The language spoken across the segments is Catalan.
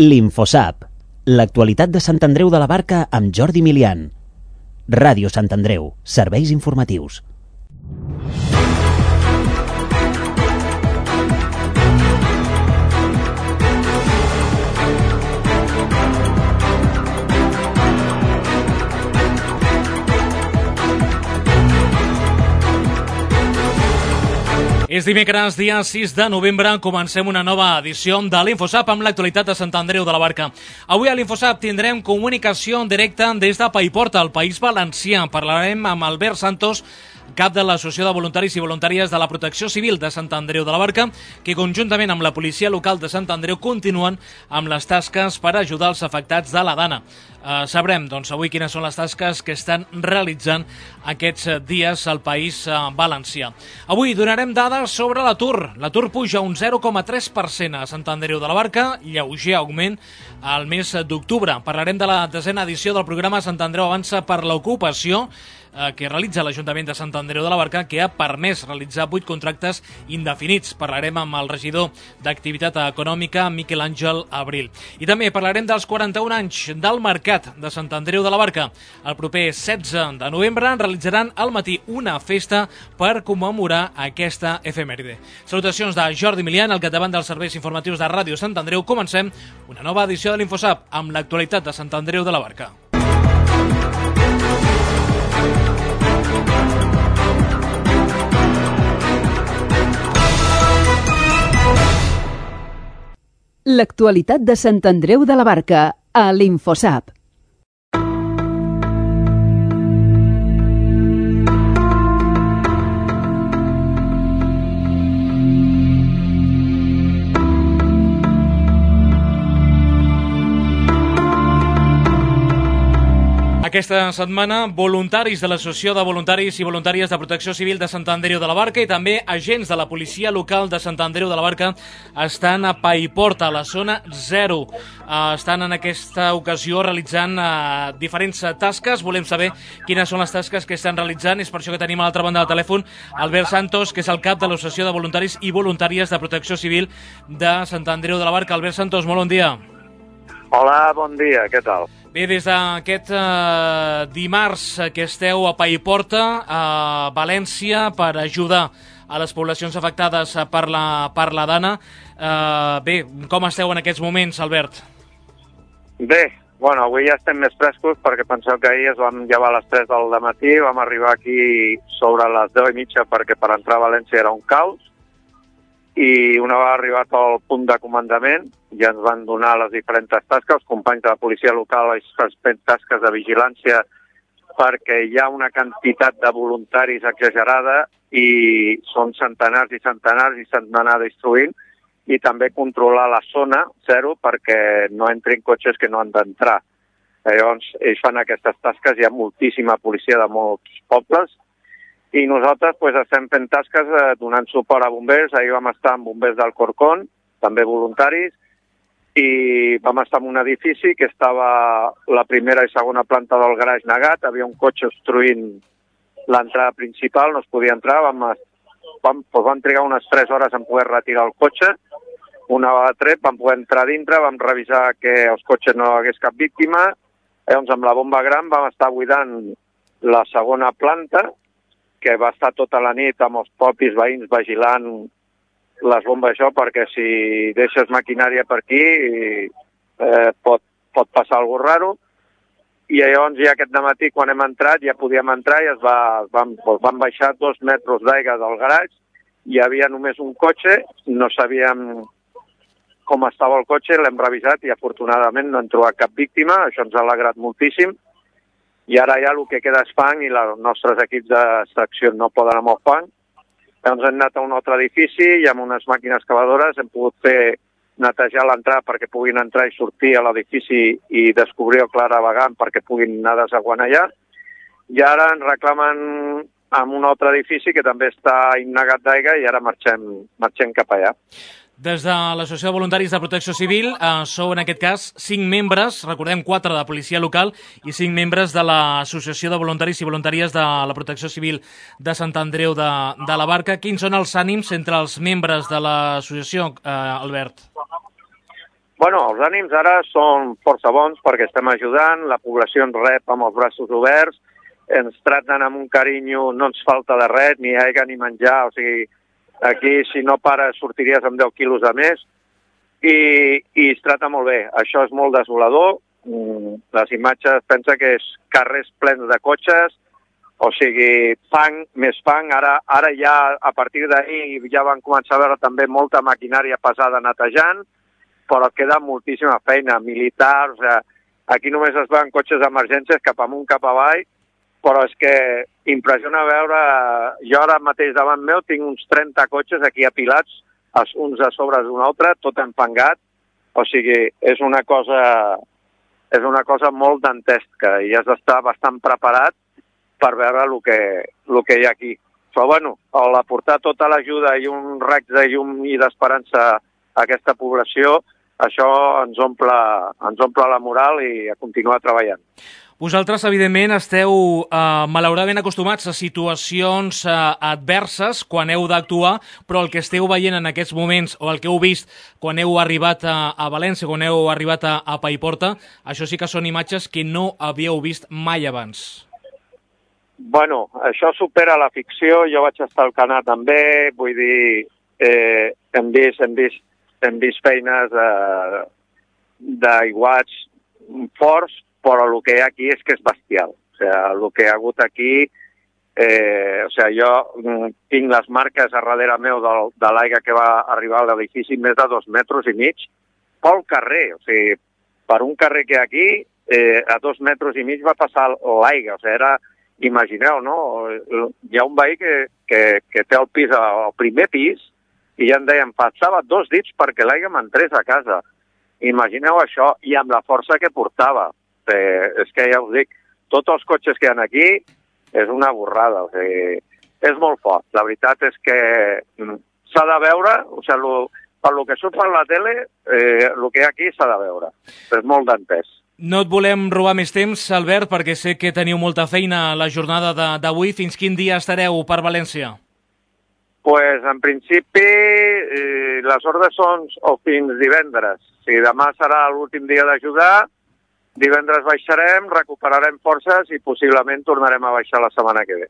L'Infosap, l'actualitat de Sant Andreu de la Barca amb Jordi Milian. Ràdio Sant Andreu, serveis informatius. És dimecres, dia 6 de novembre, comencem una nova edició de l'Infosap amb l'actualitat de Sant Andreu de la Barca. Avui a l'Infosap tindrem comunicació en directe des de Paiporta, al País Valencià. Parlarem amb Albert Santos, cap de l'Associació de Voluntaris i Voluntàries de la Protecció Civil de Sant Andreu de la Barca, que conjuntament amb la policia local de Sant Andreu continuen amb les tasques per ajudar els afectats de la Dana. Sabrem, doncs, avui quines són les tasques que estan realitzant aquests dies al País Valencià. Avui donarem dades sobre l'atur. L'atur puja un 0,3% a Sant Andreu de la Barca, lleuger augment al mes d'octubre. Parlarem de la 10a edició del programa Sant Andreu Avança per l'Ocupació, que realitza l'Ajuntament de Sant Andreu de la Barca, que ha permès realitzar 8 contractes indefinits. Parlarem amb el regidor d'Activitat Econòmica, Miquel Àngel Abril. I també parlarem dels 41 anys del Mercat de Sant Andreu de la Barca. El proper 16 de novembre realitzaran al matí una festa per commemorar aquesta efemèride. Salutacions de Jordi Milian, al capdavant dels serveis informatius de Ràdio Sant Andreu. Comencem una nova edició de l'Infosap amb l'actualitat de Sant Andreu de la Barca. L'actualitat de Sant Andreu de la Barca a l'Infosap. Aquesta setmana, voluntaris de l'Associació de Voluntaris i Voluntàries de Protecció Civil de Sant Andreu de la Barca i també agents de la policia local de Sant Andreu de la Barca estan a Paiporta, a la zona 0. Estan en aquesta ocasió realitzant diferents tasques. Volem saber quines són les tasques que estan realitzant. És per això que tenim a l'altra banda del telèfon Albert Santos, que és el cap de l'Associació de Voluntaris i Voluntàries de Protecció Civil de Sant Andreu de la Barca. Albert Santos, molt bon dia. Hola, bon dia, què tal? Bé, des d'aquest dimarts que esteu a Paiporta, a València, per ajudar a les poblacions afectades per la Dana. Bé, com esteu en aquests moments, Albert? Bé, bueno, avui ja estem més frescos perquè penseu que ahir es vam llevar a les 3 del matí, vam arribar aquí sobre les 10:30 perquè per entrar a València era un caos, i una vegada arribat al punt de comandament ja ens van donar les diferents tasques. Els companys de la policia local estan fent tasques de vigilància perquè hi ha una quantitat de voluntaris exagerada i són centenars i centenars i s'han d'anar distribuint, i també controlar la zona 0 perquè no entrin cotxes que no han d'entrar. Llavors, ells fan aquestes tasques, hi ha moltíssima policia de molts pobles, i nosaltres estem fent tasques donant suport a bombers. Ahir vam estar amb bombers d'Alcorcón, també voluntaris, i vam estar en un edifici que estava la primera i segona planta del garatge negat, havia un cotxe obstruint l'entrada principal, no es podia entrar, vam trigar unes 3 hores en poder retirar el cotxe. Una vegada tret vam poder entrar dintre, vam revisar que els cotxes no hagués cap víctima, llavors amb la bomba gran vam estar buidant la segona planta, que va estar tota la nit amb els propis veïns vigilant les bombes perquè si deixes maquinària per aquí pot passar alguna cosa raro. I llavors ja aquest dematí quan hem entrat ja podíem entrar i vam baixar 2 metres d'aigua del garatge, hi havia només un cotxe, no sabíem com estava el cotxe, l'hem revisat i afortunadament no hem trobat cap víctima, això ens ha alegrat moltíssim. I ara ja el que queda és fang i els nostres equips d'extracció no poden amb el fang. Llavors hem anat a un altre edifici i amb unes màquines cavadores hem pogut netejar l'entrada perquè puguin entrar i sortir a l'edifici i descobrir el claravagant perquè puguin anar desaguant allà. I ara ens reclamen amb un altre edifici que també està innegat d'aigua i ara marxem cap allà. Des de l'Associació de Voluntaris de Protecció Civil sou en aquest cas 5 membres, recordem 4 de la policia local i 5 membres de l'Associació de Voluntaris i Voluntàries de la Protecció Civil de Sant Andreu de la Barca. Quins són els ànims entre els membres de l'associació, Albert? Bueno, els ànims ara són força bons perquè estem ajudant, la població ens rep amb els braços oberts, ens traten amb un carinyo, no ens falta de res, ni aigua ni menjar, o sigui, aquí si no pares sortiries amb 10 quilos de més i es trata molt bé. Això és molt desolador, les imatges, pensa que és carrers plens de cotxes, o sigui, fang, més fang, ara ja a partir d'ahir ja van començar a veure també molta maquinària pesada netejant, però queda moltíssima feina, militars, aquí només es veuen cotxes d'emergències cap amunt, cap avall, però és que impressiona veure, jo ara mateix davant meu tinc uns 30 cotxes aquí apilats, uns a sobre d'un altre, tot empangat, o sigui, és una cosa molt dantesca i has d'estar bastant preparat per veure el que hi ha aquí. Però bueno, al aportar tota l'ajuda i un raig de llum i d'esperança a aquesta població, això ens omple la moral i a continuar treballant. Vosaltres, evidentment, esteu malauradament acostumats a situacions adverses quan heu d'actuar, però el que esteu veient en aquests moments, o el que heu vist quan heu arribat a València, quan heu arribat a Paiporta, això sí que són imatges que no havíeu vist mai abans. Bueno, això supera la ficció, jo vaig estar al Canà també, vull dir, hem vist feines d'aiguats forts, però el que hi ha aquí és que és bestial. O sigui, el que hi ha hagut aquí, jo tinc les marques a darrere meu de l'aigua que va arribar a l'edifici més de 2,5 metres pel carrer. O sigui, per un carrer que hi ha aquí, a 2,5 metres va passar l'aigua. O sigui, imagineu, no? Hi ha un veí que té el pis, el primer pis, i ja em deien, passava 2 dits perquè l'aigua m'entrés a casa. Imagineu això, i amb la força que portava. És que ja us dic, tots els cotxes que hi ha aquí és una borrada, o sigui, és molt fort. La veritat és que s'ha de veure, o sigui, per lo que surt per la tele, el que hi ha aquí s'ha de veure. És molt d'entès. No et volem robar més temps, Albert, perquè sé que teniu molta feina a la jornada d'avui. Fins quin dia estareu per València? Pues, en principi, les ordres són fins divendres. O sigui, demà serà l'últim dia d'ajudar, divendres baixarem, recuperarem forces i possiblement tornarem a baixar la setmana que ve.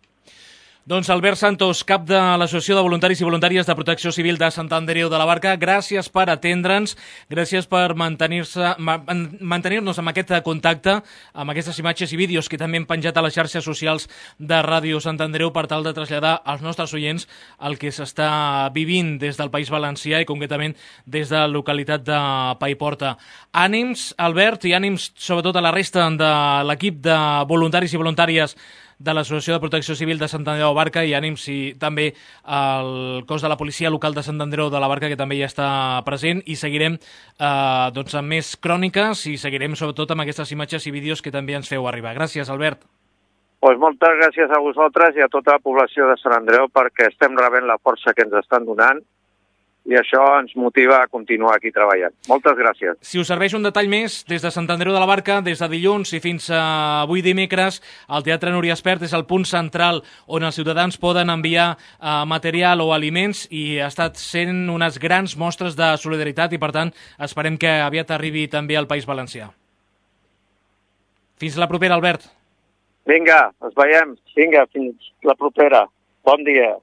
Doncs Albert Santos, cap de l'Associació de Voluntaris i Voluntàries de Protecció Civil de Sant Andreu de la Barca, gràcies per atendre'ns, gràcies per mantenir-nos amb aquest contacte, amb aquestes imatges i vídeos que també hem penjat a les xarxes socials de Ràdio Sant Andreu per tal de traslladar als nostres oients el que s'està vivint des del País Valencià i concretament des de la localitat de Paiporta. Ànims, Albert, i ànims sobretot a la resta de l'equip de voluntaris i voluntàries de l'Associació de Protecció Civil de Sant Andreu de la Barca i ànims i també el cos de la policia local de Sant Andreu de la Barca que també ja està present i seguirem amb més cròniques i seguirem sobretot amb aquestes imatges i vídeos que també ens feu arribar. Gràcies, Albert. Pues moltes gràcies a vosaltres i a tota la població de Sant Andreu perquè estem rebent la força que ens estan donant i això ens motiva a continuar aquí treballant. Moltes gràcies. Si us serveix un detall més, des de Sant Andreu de la Barca, des de dilluns i fins a avui dimecres, el Teatre Núria Espert és el punt central on els ciutadans poden enviar material o aliments i ha estat sent unes grans mostres de solidaritat i, per tant, esperem que aviat arribi també al País Valencià. Fins la propera, Albert. Vinga, ens veiem. Vinga, fins la propera. Bon dia.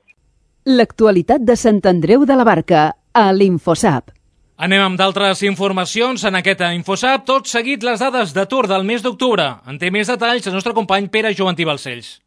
L'actualitat de Sant Andreu de la Barca, a l'Infosap. Anem amb d'altres informacions en aquest Infosap. Tot seguit les dades d'atur del mes d'octubre. En té més detalls el nostre company Pere Joventí Balcells.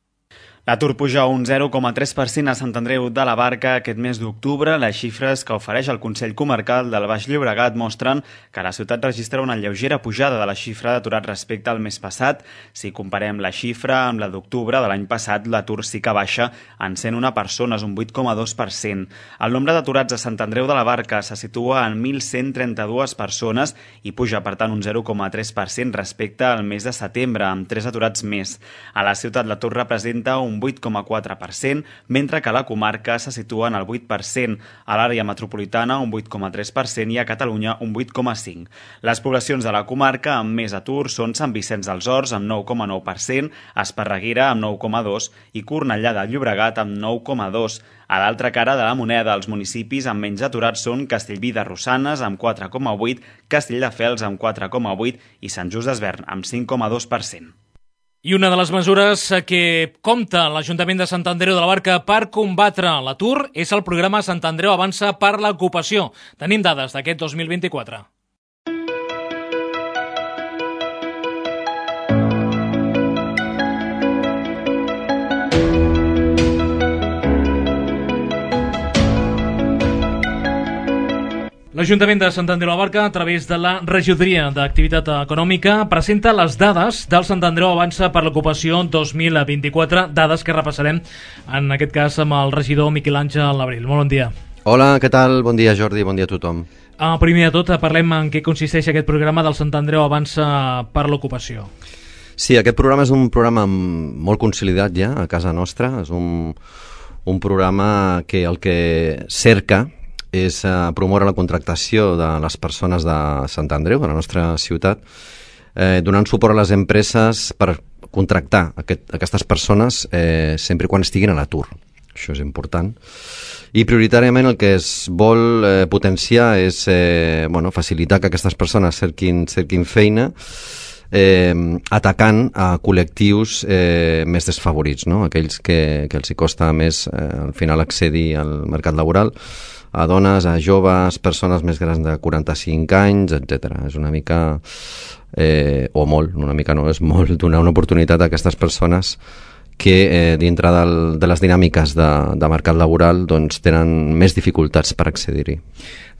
L'atur puja un 0,3% a Sant Andreu de la Barca aquest mes d'octubre. Les xifres que ofereix el Consell Comarcal del Baix Llobregat mostren que la ciutat registra una lleugera pujada de la xifra d'aturats respecte al mes passat. Si comparem la xifra amb la d'octubre de l'any passat, l'atur sí que baixa en 101 persones, un 8,2%. El nombre d'aturats a Sant Andreu de la Barca se situa en 1.132 persones i puja, per tant, un 0,3% respecte al mes de setembre, amb 3 aturats més. A la ciutat l'atur representa un un 8,4%, mentre que a la comarca se situa en el 8%, a l'àrea metropolitana un 8,3% i a Catalunya un 8,5%. Les poblacions de la comarca amb més atur són Sant Vicenç dels Horts amb 9,9%, Esparreguera amb 9,2% i Cornellà de Llobregat amb 9,2%. A l'altra cara de la moneda, els municipis amb menys aturats són Castellví de Rosanes amb 4,8%, Castelldefels amb 4,8% i Sant Just Desvern amb 5,2%. I una de les mesures que compta l'Ajuntament de Sant Andreu de la Barca per combatre l'atur és el programa Sant Andreu Avança per l'Ocupació. Tenim dades d'aquest 2024. L'Ajuntament de Sant Andreu de la Barca, a través de la Regidoria d'Activitat Econòmica, presenta les dades del Sant Andreu Avança per l'Ocupació 2024, dades que repassarem, en aquest cas, amb el regidor Miquel Àngel Abril. Molt bon dia. Hola, què tal? Bon dia, Jordi, bon dia a tothom. Primer de tot, parlem en què consisteix aquest programa del Sant Andreu Avança per l'Ocupació. Sí, aquest programa és un programa molt consolidat ja a casa nostra. És un programa que el que cerca és promoure la contractació de les persones de Sant Andreu, de la nostra ciutat, donant suport a les empreses per contractar aquestes persones sempre quan estiguin a l'atur. Això és important. I prioritàriament el que es vol potenciar és facilitar que aquestes persones cerquin feina, atacant a col·lectius més desfavorits, no? Aquells que els hi costa més al final accedir al mercat laboral, a dones, a joves, persones més grans de 45 anys, etc. És una mica, o molt, una mica no, és molt donar una oportunitat a aquestes persones que dintre de les dinàmiques de mercat laboral doncs, tenen més dificultats per accedir-hi.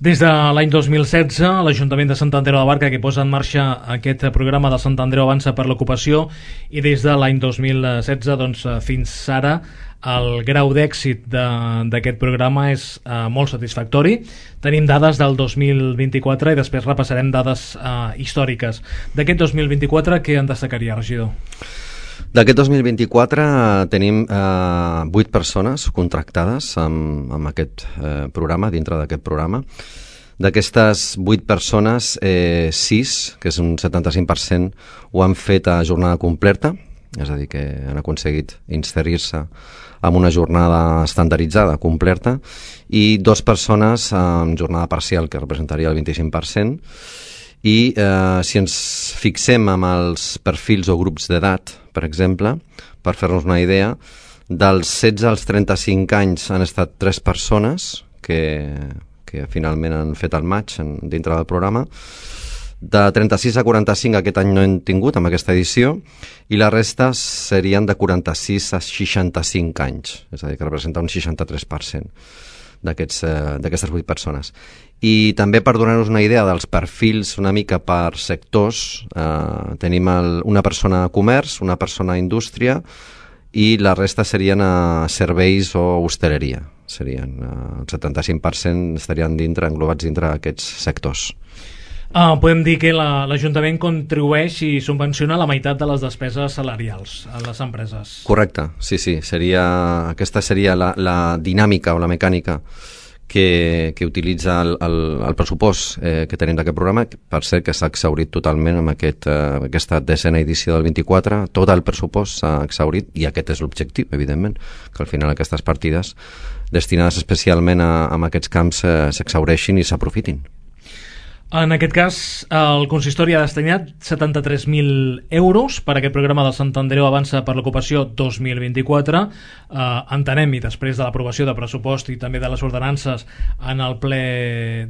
Des de l'any 2016, l'Ajuntament de Sant Andreu de la Barca, que posa en marxa aquest programa de Sant Andreu Avança per l'Ocupació, i des de l'any 2016 doncs, fins ara, el grau d'èxit d'aquest programa és molt satisfactori. Tenim dades del 2024 i després repassarem dades històriques. D'aquest 2024, què en destacaria, regidor? D'aquest 2024 tenim 8 persones contractades amb aquest programa, dintre d'aquest programa. D'aquestes 8 persones, 6, que és un 75%, ho han fet a jornada completa, és a dir, que han aconseguit inserir-se amb una jornada estandarditzada, completa, i 2 persones amb jornada parcial, que representaria el 25%, i si ens fixem amb els perfils o grups d'edat, per exemple, per fer-nos una idea, dels 16 als 35 anys han estat 3 persones que finalment han fet el match dintre del programa. De 36 a 45 aquest any no hem tingut amb aquesta edició, i la resta serien de 46 a 65 anys, és a dir, que representa un 63% d'aquestes 8 persones. I també per donar-nos una idea dels perfils una mica per sectors, tenim una persona a comerç, una persona a indústria, i la resta serien a serveis o hostaleria. El 75% estarien englobats dintre d'aquests sectors. Podem dir que l'Ajuntament contribueix i subvenciona la meitat de les despeses salarials a les empreses. Correcte, sí. Aquesta seria la dinàmica o la mecànica que utilitza el pressupost que tenim d'aquest programa. Per cert, que s'ha exhaurit totalment amb aquesta 10a edició del 24. Tot el pressupost s'ha exhaurit, i aquest és l'objectiu, evidentment, que al final aquestes partides destinades especialment a aquests camps s'exhaureixin i s'aprofitin. En aquest cas, el consistori ha destinat 73.000 euros per aquest programa del Sant Andreu Avança per l'Ocupació 2024. Entenem, i després de l'aprovació de pressupost i també de les ordenances en el ple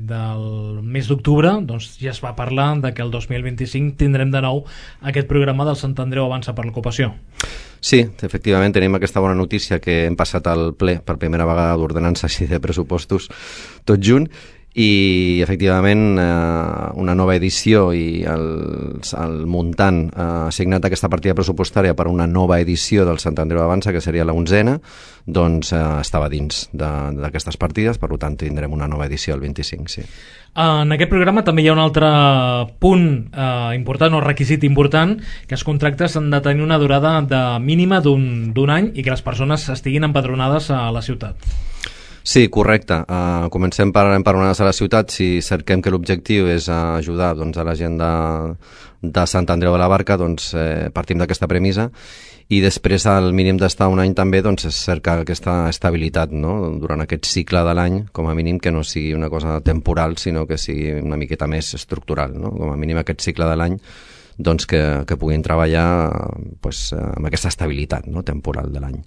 del mes d'octubre, doncs ja es va parlar de que el 2025 tindrem de nou aquest programa del Sant Andreu Avança per l'Ocupació. Sí, efectivament tenim aquesta bona notícia, que hem passat al ple per primera vegada d'ordenances i de pressupostos tot junt, i efectivament una nova edició i el muntant assignat aquesta partida pressupostària per una nova edició del Sant Andreu Avança, que seria la 11ª, doncs estava dins d'aquestes partides, per tant tindrem una nova edició el 25, sí. En aquest programa també hi ha un altre punt important o requisit important, que els contractes han de tenir una durada de mínima d'un any i que les persones estiguin empadronades a la ciutat. Sí, correcte. Comencem per empadronar-nos a la ciutat. Si cerquem que l'objectiu és ajudar doncs, a la gent de Sant Andreu de la Barca, doncs partim d'aquesta premissa, i després al mínim d'estar un any també doncs, és cercar aquesta estabilitat, no? Durant aquest cicle de l'any, com a mínim que no sigui una cosa temporal, sinó que sigui una miqueta més estructural, no? Com a mínim aquest cicle de l'any doncs, que puguin treballar doncs, amb aquesta estabilitat, no? Temporal de l'any.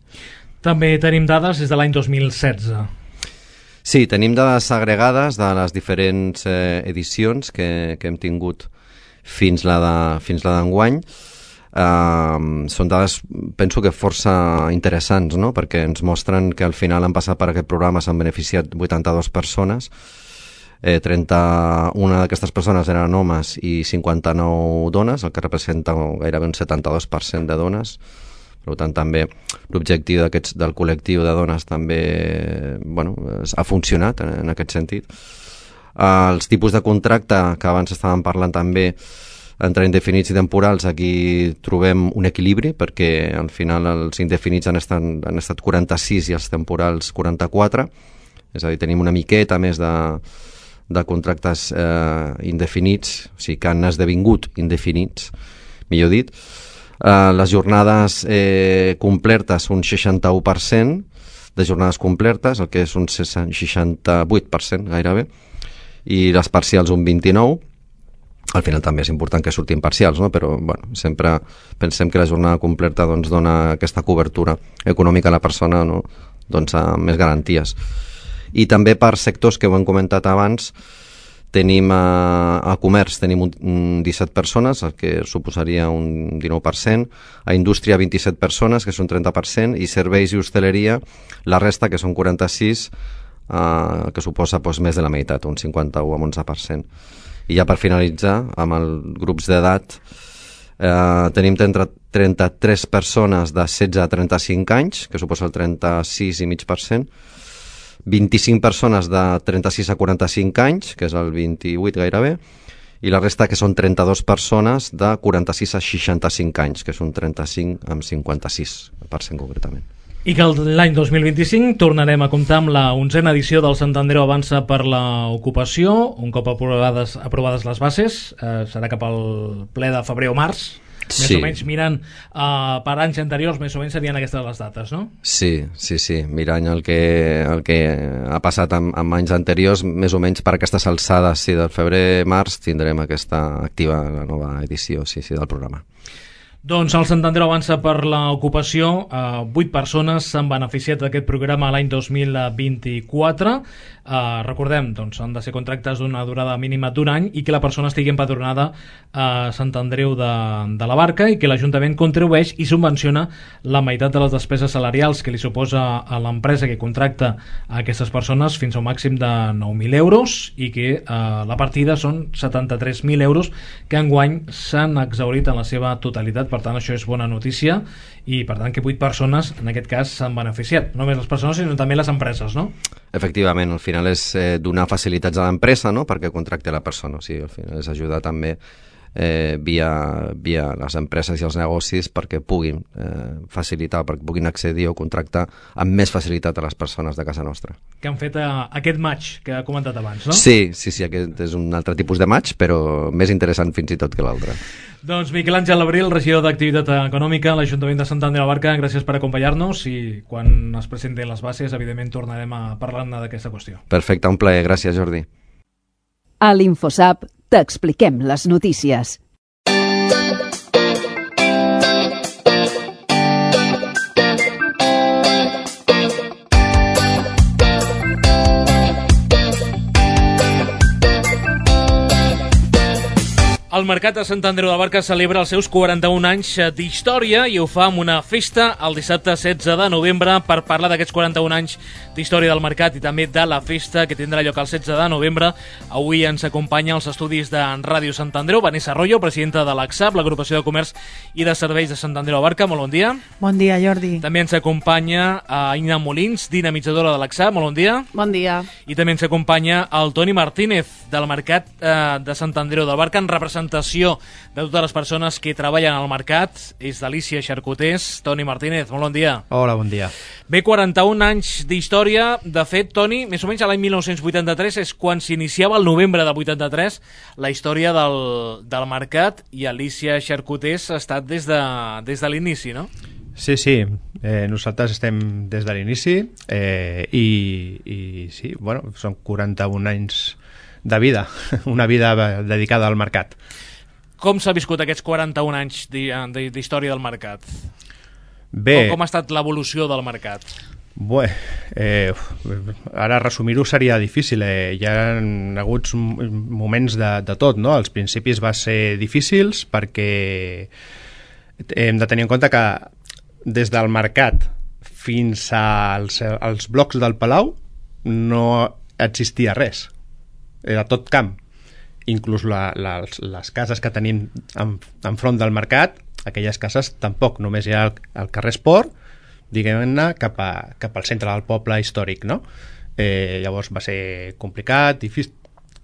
També tenim dades des de l'any 2016. Sí, tenim dades agregades de les diferents edicions que hem tingut fins la d'enguany. Són dades, penso que força interessants, no? Perquè ens mostren que al final han passat per aquest programa, s'han beneficiat 82 persones, 31 d'aquestes persones eren homes i 59 dones, el que representa gairebé un 72% de dones. Per tant, també l'objectiu del col·lectiu de dones també ha funcionat en aquest sentit. Els tipus de contracte que abans estàvem parlant també entre indefinits i temporals, aquí trobem un equilibri, perquè al final els indefinits han estat 46 i els temporals 44, és a dir, tenim una miqueta més de contractes indefinits, o sigui que han esdevingut indefinits, millor dit. Les jornades complertes un 61% de jornades complertes, el que és un 68% gairebé, i les parcials un 29%. Al final també és important que surtin parcials, no? Però sempre pensem que la jornada completa doncs, dona aquesta cobertura econòmica a la persona, no? Doncs, amb més garanties. I també per sectors que ho hem comentat abans, tenim a comerç tenim 17 persones, el que suposaria un 19%, a indústria 27 persones, que són 30%, i serveis i hostaleria, la resta, que són 46, que suposa més de la meitat, un 51 amb 11%. I ja per finalitzar, amb els grups d'edat, tenim 33 persones de 16 a 35 anys, que suposa el 36,5%, 25 persones de 36 a 45 anys, que és el 28 gairebé, i la resta que són 32 persones de 46 a 65 anys, que és un 35 amb 56% concretament. I que l'any 2025 tornarem a comptar amb la 11ª edició del Sant Andreu Avança per l'ocupació, un cop aprovades les bases, serà cap al ple de febrer o març. Més o menys mirant per anys anteriors, més o menys serien aquestes les dates, no? Sí, mirant el que ha passat amb anys anteriors, més o menys per aquestes alçades, del febrer-març tindrem aquesta activa, la nova edició del programa. Doncs el Sant Andreu Avança per l'ocupació, 8 persones s'han beneficiat d'aquest programa l'any 2024. Recordem, doncs, han de ser contractes d'una durada mínima d'un any i que la persona estigui empadronada a Sant Andreu de la Barca i que l'Ajuntament contribueix i subvenciona la meitat de les despeses salarials que li suposa a l'empresa que contracta a aquestes persones fins a un màxim de 9.000 euros i que la partida són 73.000 euros que enguany s'han exhaurit en la seva totalitat. Per tant, això és bona notícia i per tant que 8 persones en aquest cas s'han beneficiat, no només les persones sinó també les empreses, no? Efectivament, al final és donar facilitats a l'empresa, no?, perquè contracti la persona, o sigui, al final és ajudar també via les empreses i els negocis perquè puguin facilitar, perquè puguin accedir o contractar amb més facilitat a les persones de casa nostra. Que han fet aquest match que ha comentat abans, no? Sí, aquest és un altre tipus de match, però més interessant fins i tot que l'altre. Doncs Miquel Àngel Abril, regidor d'Activitat Econòmica a l'Ajuntament de Sant Andreu de la Barca, gràcies per acompanyar-nos i quan es presentin les bases, evidentment, tornarem a parlar-ne d'aquesta qüestió. Perfecte, un plaer. Gràcies, Jordi. A l'InfoSap t'expliquem les notícies. El Mercat de Sant Andreu de la Barca celebra els seus 41 anys d'història i ho fa amb una festa el dissabte 16 de novembre. Per parlar d'aquests 41 anys d'història del Mercat i també de la festa que tindrà lloc el 16 de novembre, avui ens acompanya als estudis de Ràdio Sant Andreu Vanessa Arroyo, presidenta de l'ACSAB, l'Agrupació de Comerç i de Serveis de Sant Andreu de la Barca. Molt bon dia. Bon dia, Jordi. També ens acompanya Aina Molins, dinamitzadora de l'ACSAB. Molt bon dia. Bon dia. I també ens acompanya el Toni Martínez, del Mercat de Sant Andreu de la Barca, en representació de totes les persones que treballen al mercat. És d'Alícia Xarcutés. Toni Martínez, molt bon dia. Hola, bon dia. Bé, 41 anys d'història. De fet, Toni, més o menys a l'any 1983 és quan s'iniciava el novembre de 83 la història del mercat, i Alícia Xarcutés ha estat des de l'inici, no? Sí, nosaltres estem des de l'inici i sí, bueno, són 41 anys de vida, una vida dedicada al mercat. Com s'ha viscut aquests 41 anys d'història del mercat? Bé. Com ha estat l'evolució del mercat? Bé, ara resumir-ho seria difícil. Hi ha hagut moments de tot, no? Als principis va ser difícils perquè hem de tenir en compte que des del mercat fins als blocs del Palau no existia res. Era tot camp. Inclús les cases que tenim enfront del mercat, aquelles cases tampoc, només hi ha el carrer Esport, diguem-ne, cap al centre del poble històric, no? Llavors va ser complicat,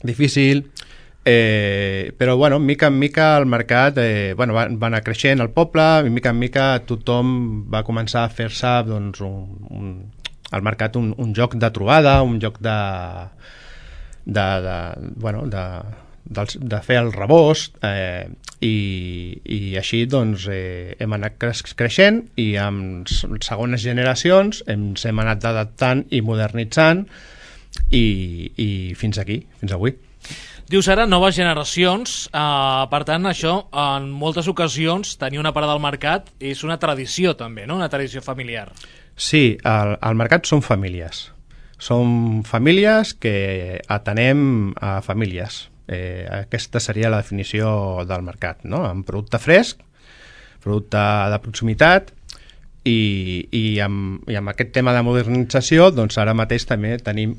difícil, però bueno, mica en mica el mercat va anar creixent el poble, i mica en mica tothom va començar a fer-se doncs, al mercat un lloc de trobada, un lloc de fer el rebost, i així doncs hem anat creixent, i amb segones generacions ens hem anat adaptant i modernitzant i fins aquí, fins avui. Dius ara noves generacions, per tant això en moltes ocasions tenir una parada al mercat és una tradició també, no? Una tradició familiar. Sí, al mercat són famílies. Són famílies que atenem a famílies. Aquesta seria la definició del mercat, no? Amb producte fresc, producte de proximitat, i amb aquest tema de modernització, doncs ara mateix també tenim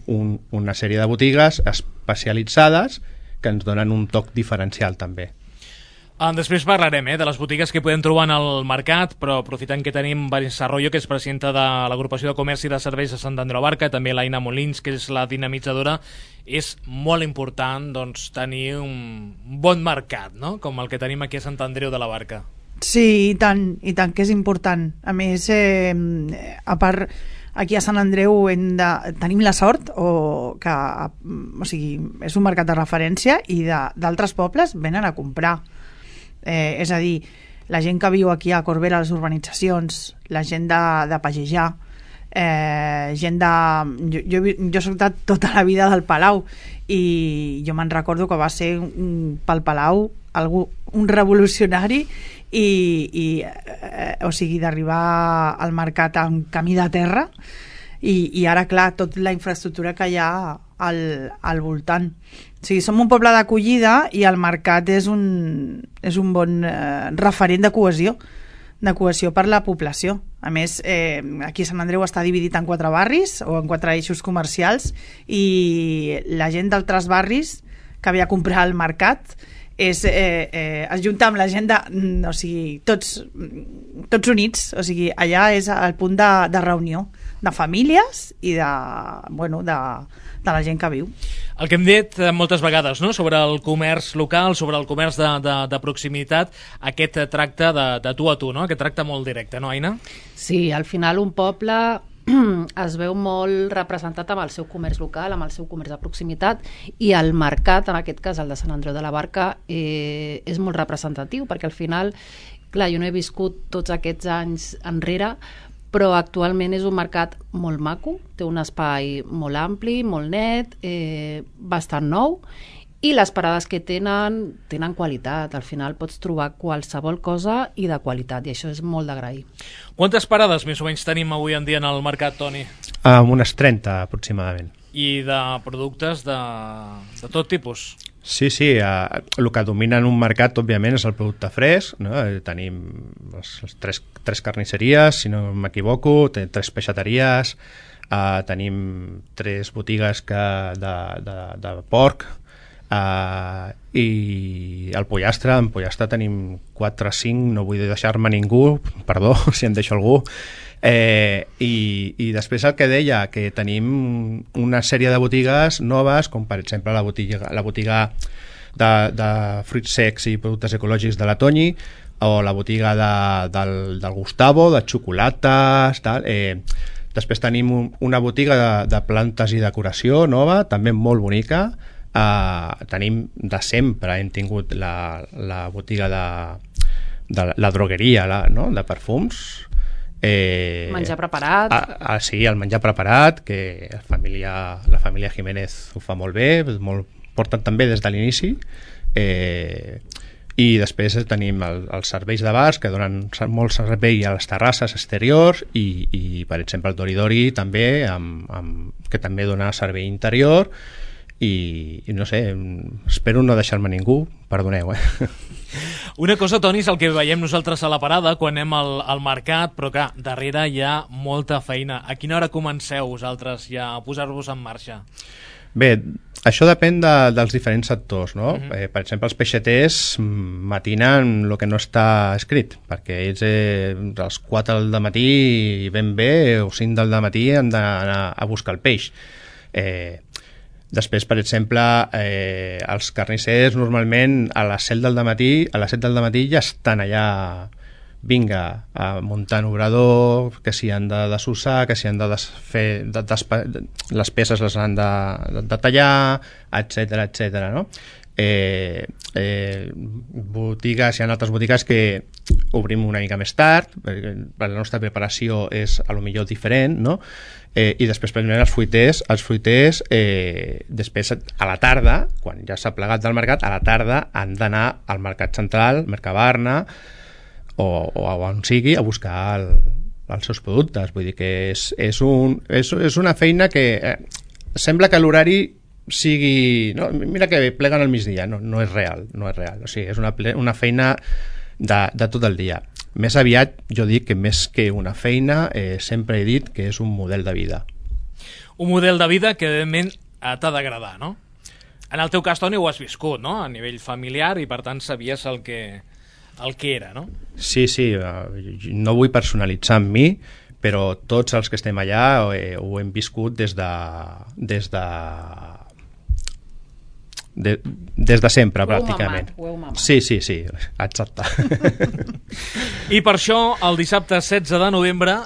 una sèrie de botigues especialitzades que ens donen un toc diferencial també. Després parlarem de les botigues que podem trobar en el mercat, però aprofitant que tenim Vanessa Arroyo, que és presidenta de l'Agrupació de Comerç i de Serveis de Sant Andreu de la Barca, també l'Aina Molins, que és la dinamitzadora, és molt important doncs, tenir un bon mercat, no? Com el que tenim aquí a Sant Andreu de la Barca. Sí, i tant que és important. A més, a part, aquí a Sant Andreu tenim la sort o sigui, és un mercat de referència i d'altres pobles venen a comprar. És a dir, la gent que viu aquí a Corbera, a les urbanitzacions, la gent de Pagejar, gent de... Jo soc de tota la vida del Palau, i jo me'n recordo que va ser pel Palau un revolucionari, o sigui, d'arribar al mercat en camí de terra, i ara, clar, tota la infraestructura que hi ha al voltant. O sigui, som un poble d'acollida i el mercat és un bon referent de cohesió per la població. A més, aquí a Sant Andreu està dividit en 4 barris o en 4 eixos comercials, i la gent d'altres barris que ve a comprar al mercat es junta amb la gent o sigui, tots units. O sigui, allà és el punt de reunió de famílies i de la gent que viu. El que hem dit moltes vegades, no?, sobre el comerç local, sobre el comerç de proximitat, aquest tracte de tu a tu, no?, aquest tracte molt directe, no, Aina? Sí, al final un poble es veu molt representat amb el seu comerç local, amb el seu comerç de proximitat, i el mercat, en aquest cas el de Sant Andreu de la Barca, és molt representatiu, perquè al final, clar, jo no he viscut tots aquests anys enrere, però actualment és un mercat molt maco, té un espai molt ampli, molt net, bastant nou, i les parades que tenen qualitat. Al final pots trobar qualsevol cosa i de qualitat, i això és molt d'agrair. Quantes parades més o menys tenim avui en dia en el mercat, Toni? Unes 30 aproximadament. I de productes de tot tipus? Sí, el que domina en un mercat, òbviament, és el producte fresc, no? Tenim les tres carnisseries, si no m'equivoco, tres peixateries, tenim 3 botigues de porc, i el pollastre, en pollastre tenim 4 o 5, no vull deixar-me ningú, perdó si en deixo algú, i després el que deia, que tenim una sèrie de botigues noves, com per exemple la botiga de fruits secs i productes ecològics de la Toñi, o la botiga del Gustavo, de xocolates, tal. Després tenim una botiga de plantes i decoració nova, també molt bonica. Tenim de sempre, hem tingut la botiga de la drogueria, no? De perfums, menjar preparat. Sí, el menjar preparat, que la família Jiménez ho fa molt bé, porten també des de l'inici, i després tenim els serveis de bars, que donen molt servei a les terrasses exteriors, i per exemple el Doridori també, que també dona servei interior, i no sé, espero no deixar-me ningú, perdoneu. Una cosa, Toni, és el que veiem nosaltres a la parada quan anem al mercat, però clar, darrere hi ha molta feina. A quina hora comenceu vosaltres ja a posar-vos en marxa? Bé, això depèn dels diferents sectors, no? Per exemple, els peixaters matinen el que no està escrit, perquè ells als 4 del matí ben bé, o 5 del matí han d'anar a buscar el peix. Després, per exemple, els carnissers normalment a les 7 del matí ja estan allà, vinga, muntant obrador, que si han de desossar, que si han de desfer, les peces les han de tallar, etc, no? Botigues, hi ha altres botigues que obrim una mica més tard, perquè la nostra preparació és a lo millor diferent, no? I després, per exemple, els fruiters després a la tarda, quan ja s'ha plegat del mercat, a la tarda han d'anar al mercat central, Mercabarna, o on sigui, a buscar els seus productes. Vull dir que és una feina que sembla que l'horari sigui... No, mira que pleguen al migdia, no és real, o sigui, és una feina de tot el dia. Més aviat jo dic que més que una feina sempre he dit que és un model de vida. Un model de vida que evidentment t'ha d'agradar, no? En el teu cas, Toni, ho has viscut, no? A nivell familiar, i per tant sabies el que era, no? Sí, no vull personalitzar amb mi, però tots els que estem allà ho hem viscut des de sempre, pràcticament. Ho heu mamat. Sí, exacte. I per això, el dissabte 16 de novembre,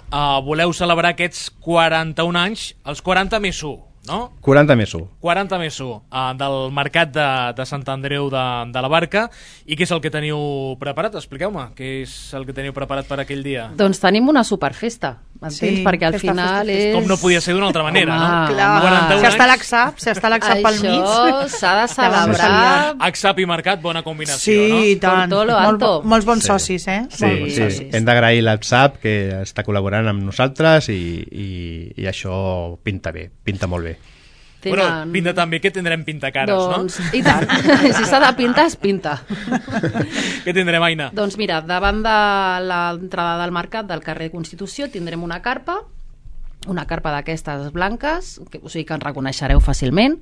voleu celebrar aquests 41 anys, els 40 més 1, no? 40 més 1. 40 més 1 del mercat de Sant Andreu de la Barca. I què és el que teniu preparat? Expliqueu-me, què és el que teniu preparat per aquell dia? Doncs tenim una superfesta, m'entens? Sí, perquè al final és... Com no podia ser d'una altra manera, no? Clar, si està l'AXAP pel mig. Això s'ha de celebrar. AXAP i mercat, bona combinació, sí, no? Sí, i tant. Molts bons socis, Sí. Hem d'agrair l'AXAP, que està col·laborant amb nosaltres, i això pinta bé, pinta molt bé. Bueno, pinta també que tindrem pintacares, doncs, no? I tant, si s'ha de pintar, es pinta. Què tindrem, Aina? Doncs mira, davant de l'entrada del mercat del carrer Constitució tindrem una carpa d'aquestes blanques, o sigui que en reconeixereu fàcilment.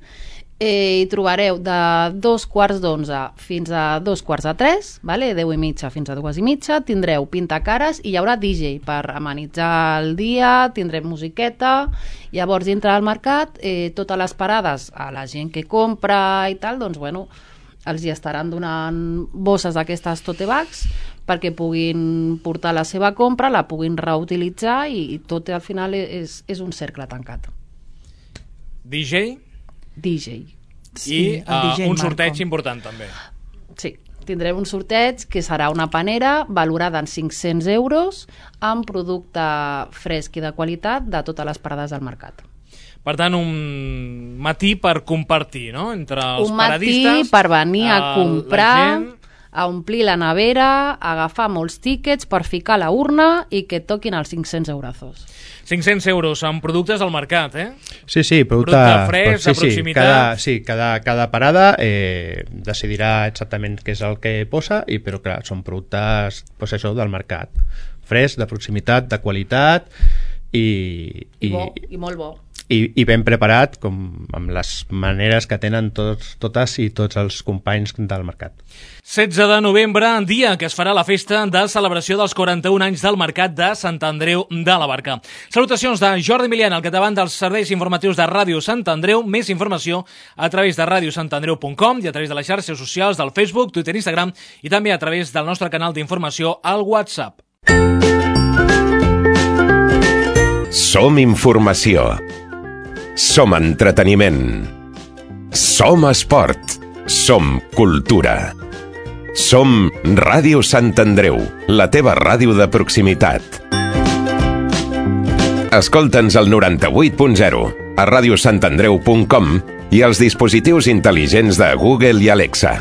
Hi trobareu de 2:45 fins a 2:45, vale? 10:30 fins a 2:30, tindreu pintacares i hi haurà DJ per amenitzar el dia, tindrem musiqueta. Llavors, dintre del mercat, totes les parades a la gent que compra i tal, doncs bueno, els hi estaran donant bosses d'aquestes tote bags perquè puguin portar la seva compra, la puguin reutilitzar, i tot al final és un cercle tancat. DJ? DJ. I un sorteig important també. Sí, tindrem un sorteig que serà una panera valorada en 500 euros amb producte fresc i de qualitat de totes les parades del mercat. Per tant, un matí per compartir, no? Entre els un matí paradistes, per venir a comprar a omplir la nevera, a agafar molts tíquets per ficar a la urna i que toquin els 500 eurazos. 500 euros en productes al mercat, eh? Sí, producte fresc, de proximitat. Cada parada decidirà exactament què és el que posa, però clar, són productes pues això, del mercat. Fresc, de proximitat, de qualitat I molt bo. I ben preparat, com amb les maneres que tenen totes i tots els companys del mercat. 16 de novembre, dia que es farà la festa de celebració dels 41 anys del Mercat de Sant Andreu de la Barca. Salutacions de Jordi Milian, al capdavant dels serveis informatius de Ràdio Sant Andreu. Més informació a través de radiosantandreu.com i a través de les xarxes socials del Facebook, Twitter i Instagram i també a través del nostre canal d'informació al WhatsApp. Som informació. Som entreteniment. Som esport. Som cultura. Som Ràdio Sant Andreu, la teva ràdio de proximitat. Escolta'ns al 98.0, a radiosantandreu.com i als dispositius intel·ligents de Google i Alexa.